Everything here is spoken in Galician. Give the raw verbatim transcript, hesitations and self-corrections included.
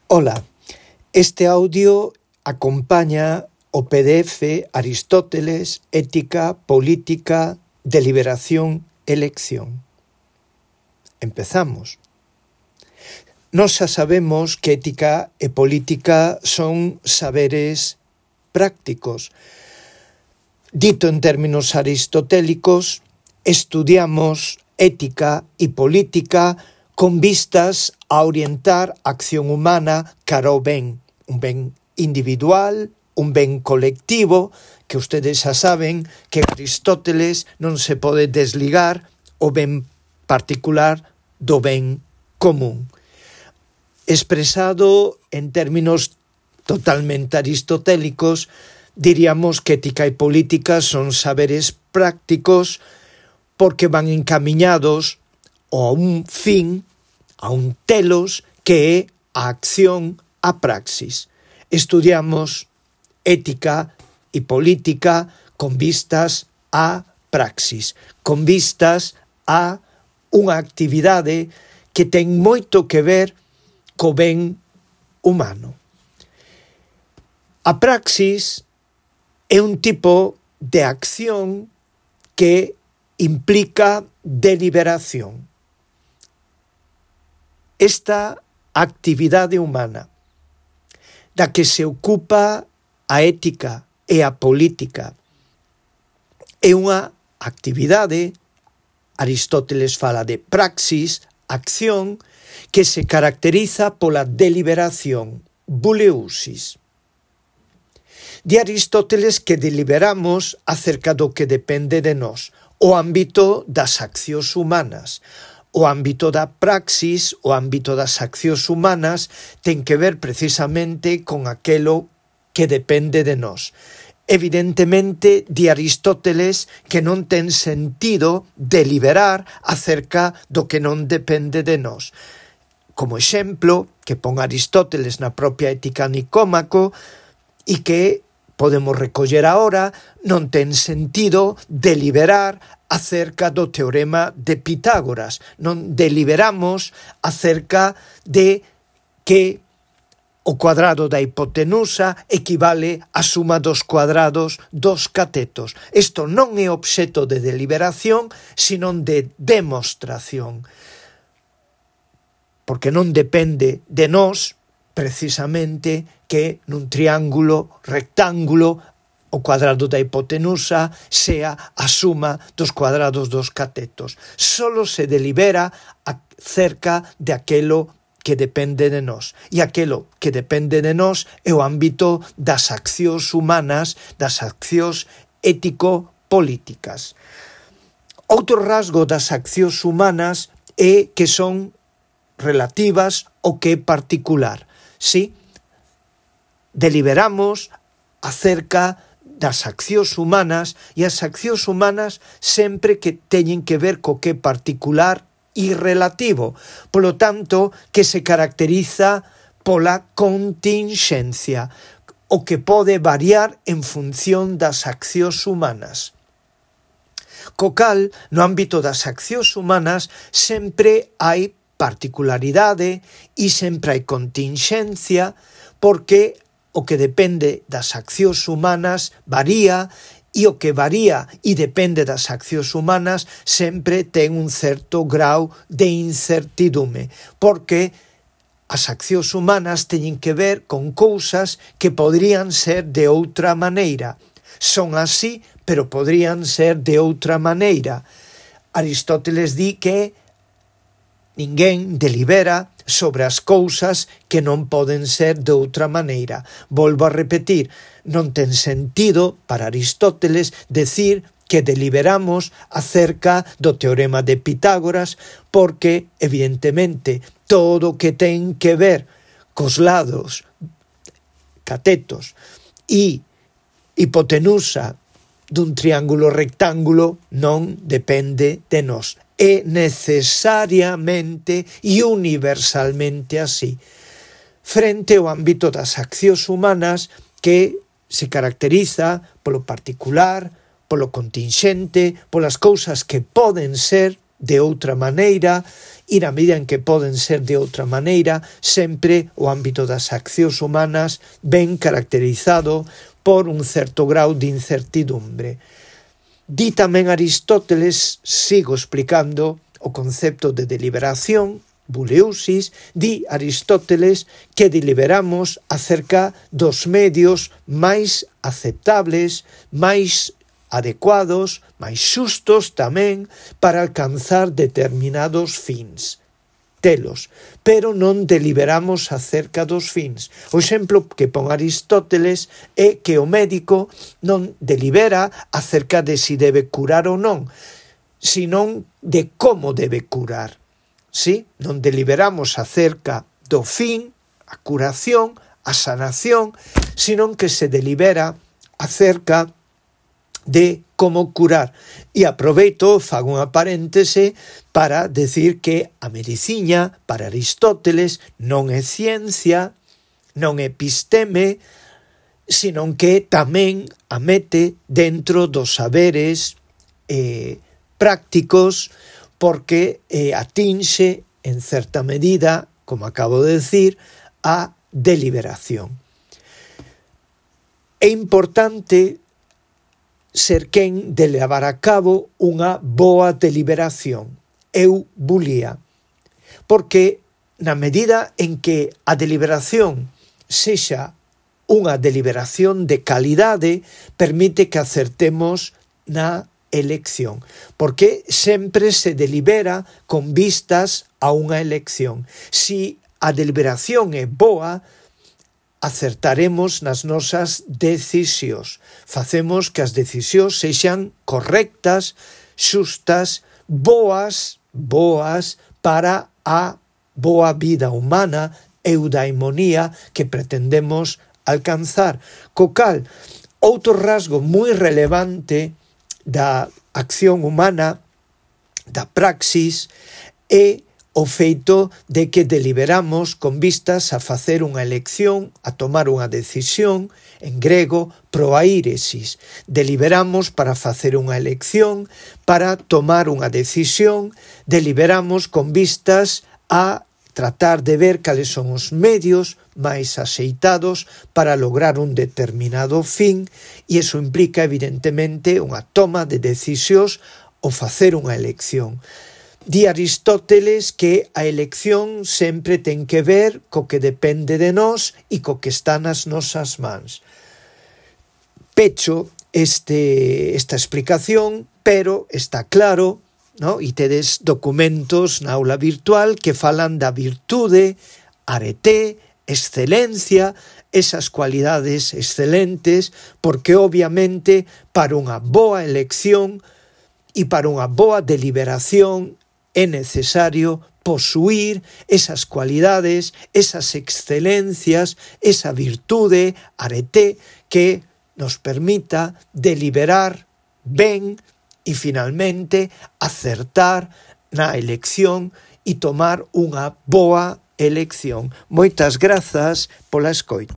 Ola, este audio acompaña o P D F Aristóteles, Ética, Política, Deliberación, Elección. Empezamos. Nós xa sabemos que ética e política son saberes prácticos. Dito en términos aristotélicos, estudiamos ética e política con vistas a orientar a acción humana cara ao ben, un ben individual, un ben colectivo, que ustedes xa saben que Aristóteles non se pode desligar o ben particular do ben común. Expresado en términos totalmente aristotélicos, diríamos que ética e política son saberes prácticos porque van encaminados a un fin, a un telos, que é a acción, a praxis. Estudiamos ética e política con vistas a praxis, con vistas a unha actividade que ten moito que ver co ben humano. A praxis é un tipo de acción que implica deliberación. Esta actividade humana da que se ocupa a ética e a política é unha actividade, Aristóteles fala de praxis, acción, que se caracteriza pola deliberación, buleusis. Di Aristóteles que deliberamos acerca do que depende de nós, o ámbito das accións humanas. O ámbito da praxis, o ámbito das accións humanas, ten que ver precisamente con aquelo que depende de nós. Evidentemente, di Aristóteles que non ten sentido deliberar acerca do que non depende de nós. Como exemplo, que pon Aristóteles na propia Ética Nicómaco e que podemos recoller agora, non ten sentido deliberar acerca do teorema de Pitágoras. Non deliberamos acerca de que o cuadrado da hipotenusa equivale á suma dos cuadrados dos catetos. Isto non é obxeto de deliberación, sino de demostración. Porque non depende de nós, precisamente, que nun triángulo rectángulo o cuadrado da hipotenusa sea a suma dos cuadrados dos catetos. Solo se delibera acerca de aquelo que depende de nós. E aquelo que depende de nós é o ámbito das accións humanas, das accións ético-políticas. Outro rasgo das accións humanas é que son relativas ao que é particular. Sí, deliberamos acerca das accións humanas e as accións humanas sempre que teñen que ver co que é particular e relativo, polo tanto que se caracteriza pola continxencia, o que pode variar en función das accións humanas. Co cal, no ámbito das accións humanas sempre hai particularidade e sempre hai continxencia, porque o que depende das accións humanas varía e o que varía e depende das accións humanas sempre ten un certo grau de incertidume, porque as accións humanas teñen que ver con cousas que podrían ser de outra maneira. Son así, pero podrían ser de outra maneira. Aristóteles di que ninguén delibera sobre as cousas que non poden ser de outra maneira. Volvo a repetir, non ten sentido para Aristóteles decir que deliberamos acerca do teorema de Pitágoras porque, evidentemente, todo o que ten que ver cos lados, catetos e hipotenusa dun triángulo rectángulo non depende de nós. É necesariamente e universalmente así. Frente ao ámbito das accións humanas que se caracteriza polo particular, polo continxente, polas cousas que poden ser de outra maneira e na medida en que poden ser de outra maneira, sempre o ámbito das accións humanas ben caracterizado por un certo grau de incertidumbre. Di tamén Aristóteles, sigo explicando o concepto de deliberación, buleusis, di Aristóteles que deliberamos acerca dos medios máis aceptables, máis adecuados, máis xustos tamén para alcanzar determinados fins. Telos, pero non deliberamos acerca dos fins. O exemplo que pon Aristóteles é que o médico non delibera acerca de si debe curar ou non, senón de como debe curar. Sí? Non deliberamos acerca do fin, a curación, a sanación, senón que se delibera acerca de como curar. E aproveito, fago unha paréntese para decir que a medicina, para Aristóteles, non é ciencia, non é episteme, senón que tamén a mete dentro dos saberes eh, prácticos, porque eh, atinxe, en certa medida, como acabo de decir, a deliberación. É importante ser quen de levar a cabo unha boa deliberación, eubulía, porque na medida en que a deliberación sexa unha deliberación de calidade, permite que acertemos na elección, porque sempre se delibera con vistas a unha elección. Si a deliberación é boa, acertaremos nas nosas decisións. Facemos que as decisións sexan correctas, xustas, boas, boas para a boa vida humana, eudaimonía, que pretendemos alcanzar. Co cal, outro rasgo moi relevante da acción humana, da praxis, é o feito de que deliberamos con vistas a facer unha elección, a tomar unha decisión, en grego, proairesis. Deliberamos para facer unha elección, para tomar unha decisión, deliberamos con vistas a tratar de ver cales son os medios máis axeitados para lograr un determinado fin, e iso implica, evidentemente, unha toma de decisións ou facer unha elección. Di Aristóteles que a elección sempre ten que ver co que depende de nós e co que está nas nosas mans. Pecho este, esta explicación, pero está claro, no? E tedes documentos na aula virtual que falan da virtude, arete, excelencia, esas cualidades excelentes, porque obviamente para unha boa elección e para unha boa deliberación é necesario posuir esas cualidades, esas excelencias, esa virtude, arete, que nos permita deliberar ben e finalmente acertar na elección e tomar unha boa elección. Moitas grazas pola escoita.